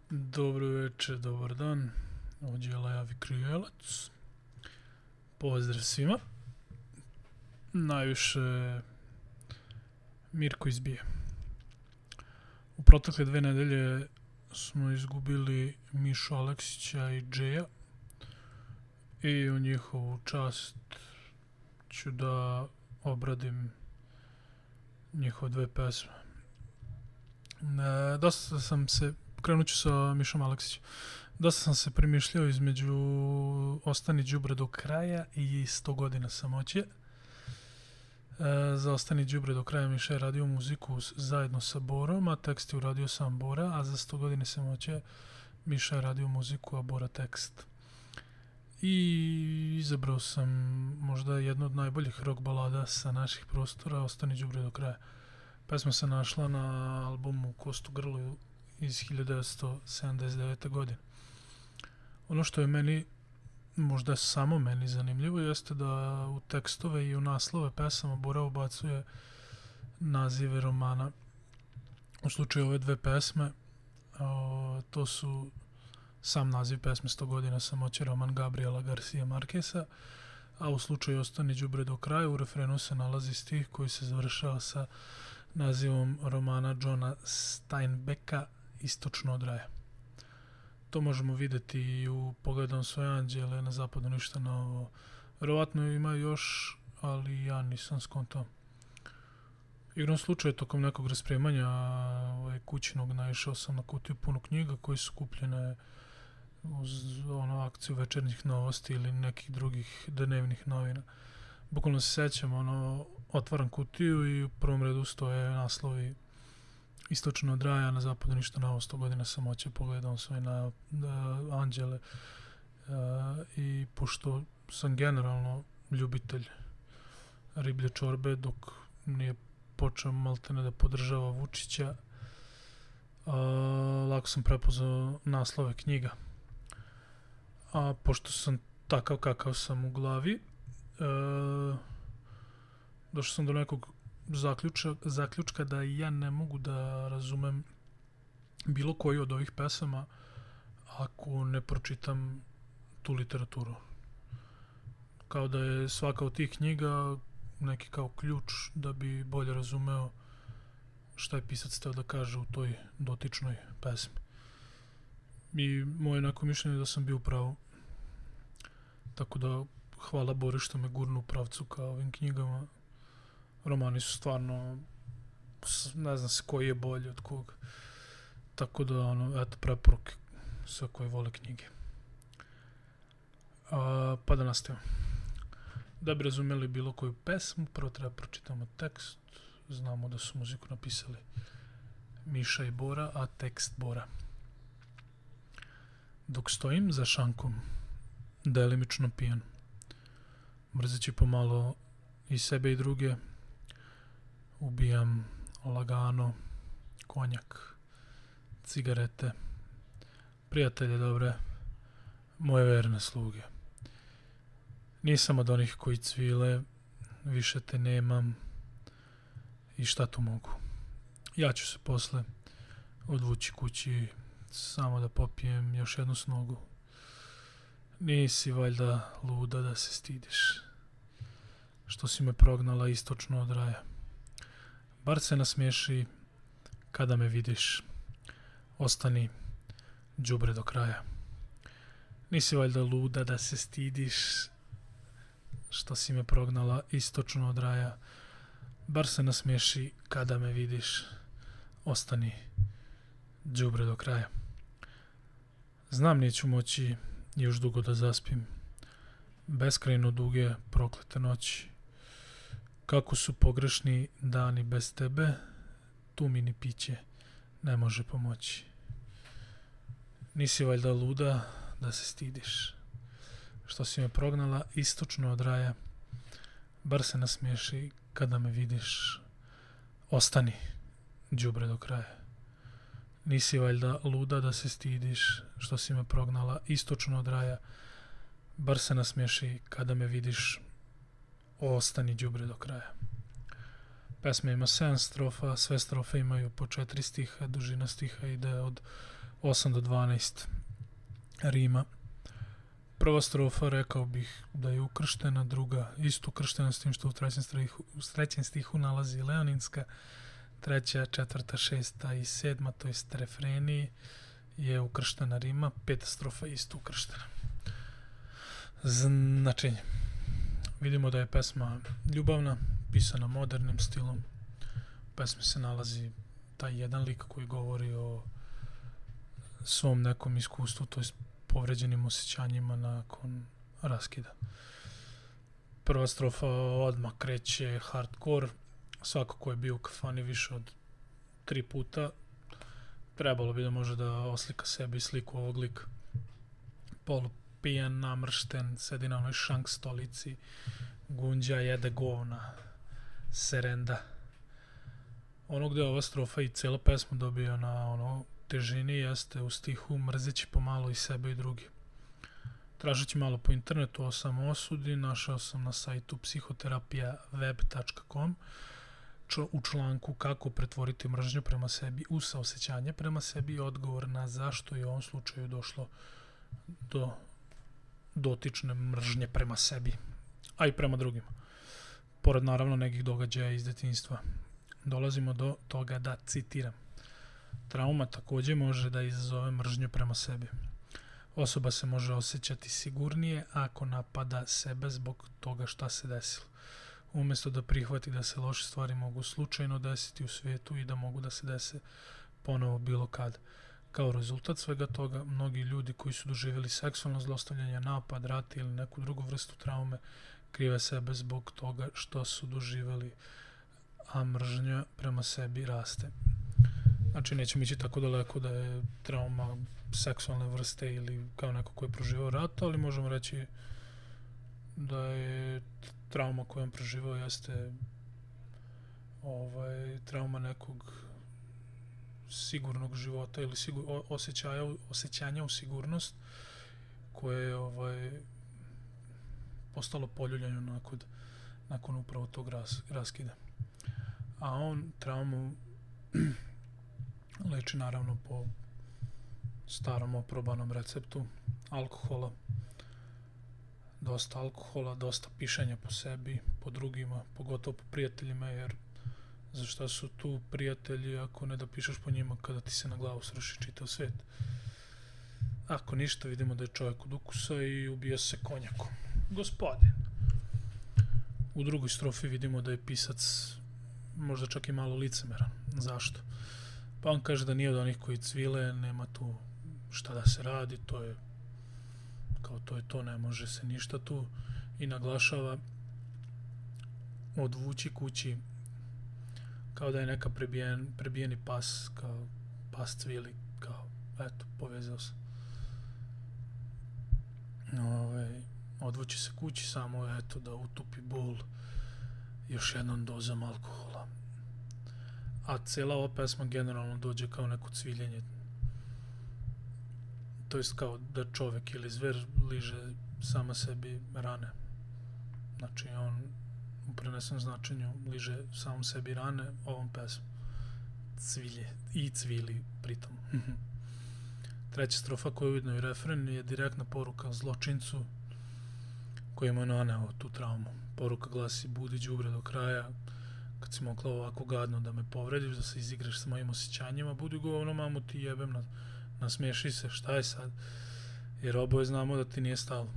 Dobro večer, dobar dan. Ovdje je Lajavi Krijelac. Pozdrav svima. Najviše Mirko izbije. U protekle 2 nedelje smo izgubili Mišu Aleksića i Džeja i u njihovu čast ću da obradim njihove 2 pesme. Krenut ću sa Mišom Aleksićem. Dosta sam se premišljao između Ostani đubre do kraja i 100 godina samoće. Za Ostani đubre do kraja Miša je radio muziku zajedno sa Borom, a tekst je uradio sam Bora, a za 100 godine samoće Miša je radio muziku, a Bora tekst. I izabrao sam možda jednu od najboljih rock balada sa naših prostora, Ostani đubre do kraja. Pesma se našla na albumu Kost u grlu iz 1979. godine. Ono što je meni, možda samo meni zanimljivo, jeste da u tekstove i u naslove pesama Bora ubacuje nazive romana. U slučaju ove 2 pesme, to su sam naziv pesme 100 godina samoće, roman Gabriela Garcia Marqueza, a u slučaju Ostani đubre do kraja u refrenu se nalazi stih koji se završava sa nazivom romana Johna Steinbecka Istočno od raja. To možemo vidjeti i u Pogledam svoje anđele, Na zapadu ništa novo. Verovatno ima još, ali ja nisam skontao. Igrom slučaja, tokom nekog raspremanja kućinog naišao sam na kutiju punu knjiga koji su kupljene uz akciju večernjih novosti ili nekih drugih dnevnih novina. Bukvalno se sećam, otvaram kutiju i u prvom redu stoje naslovi Istočno od raja, Na zapadu ništa novo, 100 godina samoće, Pogledam svoje anđele. I pošto sam generalno ljubitelj riblje čorbe, dok nije počeo maltene da podržava Vučića, lako sam prepoznao naslove knjiga. A pošto sam takav kakav sam u glavi, došao sam do nekog zaključka da ja ne mogu da razumem bilo koju od ovih pesama ako ne pročitam tu literaturu. Kao da je svaka od tih knjiga neki kao ključ da bi bolje razumeo šta je pisac hteo da kaže u toj dotičnoj pesmi. I moje neko mišljenje je da sam bio u pravu. Tako da hvala Bori što me gurnu u pravcu ka ovim knjigama. Romani su stvarno, ne znam se koji je bolji od koga. Tako da, eto, preporuke sve koji vole knjige. Pa da nastavimo. Da bi razumeli bilo koju pesmu, prvo treba pročitamo tekst. Znamo da su muziku napisali Miša i Bora, a tekst Bora. Dok stojim za šankom, delimično pijan, mrzeći pomalo i sebe i druge, ubijam lagano konjak, cigarete, prijatelje dobre, moje verne sluge. Nisam od onih koji cvile, više te nemam i šta tu mogu. Ja ću se posle odvući kući samo da popijem još jednu snogu. Nisi valjda luda da se stidiš, što si me prognala istočno od raja. Bar se nasmiješi kada me vidiš, ostani đubre do kraja. Nisi valjda luda da se stidiš, što si me prognala istočno od raja. Bar se nasmiješi kada me vidiš, ostani đubre do kraja. Znam neću moći još dugo da zaspim, beskrajno duge proklete noći. Kako su pogrešni dani bez tebe, tu mi ni piće ne može pomoći. Nisi valjda luda da se stidiš, što si me prognala istočno od raja. Bar se nasmiješi kada me vidiš, ostani đubre do kraja. Nisi valjda luda da se stidiš, što si me prognala istočno od raja. Bar se nasmiješi kada me vidiš, ostani đubre do kraja. Pesma ima 7 strofa, sve strofe imaju po 4 stiha, dužina stiha ide od 8 do 12 rima. Prva strofa rekao bih da je ukrštena, druga isto ukrštena s tim što u trećem stihu nalazi leoninska, treća, četvrta, šesta i sedma, to jest refreni je ukrštena rima, peta strofa isto ukrštena. Značenje. Vidimo da je pesma ljubavna, pisana modernim stilom. U pesmi se nalazi taj jedan lik koji govori o svom nekom iskustvu, to jest povređenim osjećanjima nakon raskida. Prva strofa odmah kreće hardcore. Svako ko je bio u kafani više od 3 puta trebalo bi da može da oslika sebe i sliku ovog lika. Polupijan, namršten, sedi na onoj šank stolici, gunđa, jede govna, serenda. Ono gde ova strofa i cijela pesma dobija na ono težini jeste u stihu mrzeći pomalo i sebe i drugi. Tražeći malo po internetu o samoosudi, našao sam na sajtu psihoterapijaweb.com u članku kako pretvoriti mržnju prema sebi u saosećanje prema sebi i odgovor na zašto je u ovom slučaju došlo do dotične mržnje prema sebi, a i prema drugima. Pored naravno nekih događaja iz detinjstva. Dolazimo do toga da citiram. Trauma također može da izazove mržnju prema sebi. Osoba se može osjećati sigurnije ako napada sebe zbog toga šta se desilo. Umjesto da prihvati da se loše stvari mogu slučajno desiti u svijetu i da mogu da se dese ponovo bilo kad. Kao rezultat svega toga, mnogi ljudi koji su doživjeli seksualno zlostavljanje, napad, rat ili neku drugu vrstu traume krive sebe zbog toga što su doživjeli, a mržnja prema sebi raste. Znači, nećemo ići tako daleko da je trauma seksualne vrste ili kao neko ko je proživao rat, ali možemo reći da je trauma koju on proživao jeste trauma nekog sigurnog života ili osjećanja u sigurnost koje je postalo poljuljano nakon upravo tog raskida. A on traumu leči naravno po starom oprobanom receptu alkohola. Dosta alkohola, dosta pišanja po sebi, po drugima, pogotovo po prijateljima, jer zašto su tu prijatelji ako ne da pišeš po njima kada ti se na glavu sruši čitav svijet. Ako ništa, vidimo da je čovjek od ukusa i ubija se konjakom. Gospodin. U drugoj strofi vidimo da je pisac možda čak i malo licemeran. Zašto? Pa on kaže da nije od onih koji cvile, nema tu šta da se radi, to je to, ne može se ništa tu, i naglašava odvući kući kao da je neka prebijeni pas, kao pas cvili, kao eto, povezao se. Odvući se kući samo eto da utupi bol još jednom dozom alkohola. A cijela ova pesma generalno dođe kao neko cviljenje. To jest kao da čovjek ili zver liže sama sebi rane. Znači on u prenesenom značenju liže samom sebi rane ovom pesmom. Cvilje i cvili pritom. Treća strofa koja je ujedno i refren je direktna poruka zločincu koji mu je naneo tu traumu. Poruka glasi: budi đubre do kraja, kad si mogla ovako gadno da me povrediš, da se izigraš sa mojim osjećanjima, budi govno, mamu ti jebem, nasmiješi se, šta je sad? Jer oboje znamo da ti nije stalo.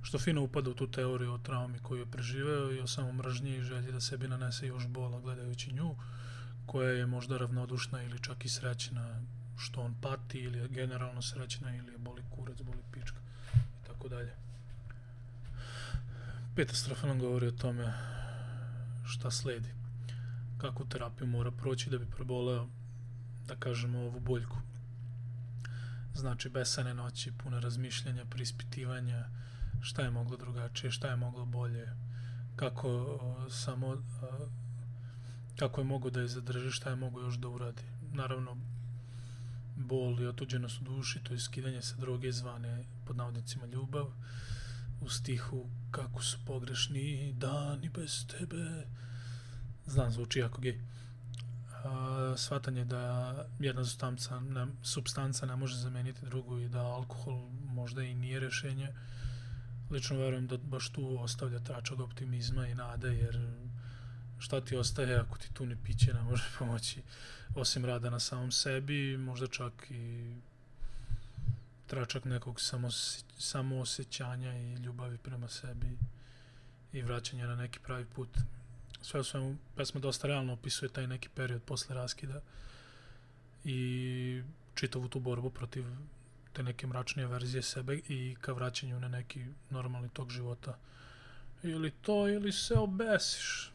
Što fino upada u tu teoriju o traumi koju je preživeo i o samom mržnji i želji da sebi nanese još bola gledajući nju, koja je možda ravnodušna ili čak i srećna što on pati, ili je generalno srećna, ili je boli kurac, boli pička i tako dalje. Peta strofa nam govori o tome šta sledi, kakvu terapiju mora proći da bi preboleo, da kažemo, ovu boljku. Znači besane noći, pune razmišljanja, preispitivanja, šta je moglo drugačije, šta je moglo bolje, kako je mogao da je zadrži, šta je mogao još da uradi. Naravno, bol i otuđenost u duši, to je skidanje sa droge zvane pod navodnicima ljubav, u stihu kako su pogrešni dani bez tebe, znam, zvuči jako gej. Shvatanje da jedna supstanca ne može zameniti drugu i da alkohol možda i nije rješenje. Lično verujem da baš tu ostavlja tračak optimizma i nade, jer šta ti ostaje ako ti tu ni piće ne može pomoći, osim rada na samom sebi, možda čak i tračak nekog samoosjećanja i ljubavi prema sebi i vraćanja na neki pravi put. Sve u svemu, pesma dosta realno opisuje taj neki period posle raskida i čitavu tu borbu protiv te neke mračnije verzije sebe i ka vraćanju na neki normalni tok života. Ili to, ili se obesiš.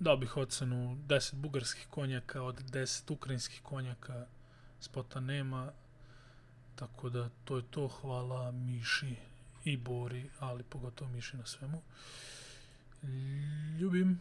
Dao bih ocenu 10 bugarskih konjaka od 10 ukrajinskih konjaka, spota nema, tako da to je to. Hvala Miši i Bori, ali pogotovo Miši na svemu. Ljubim.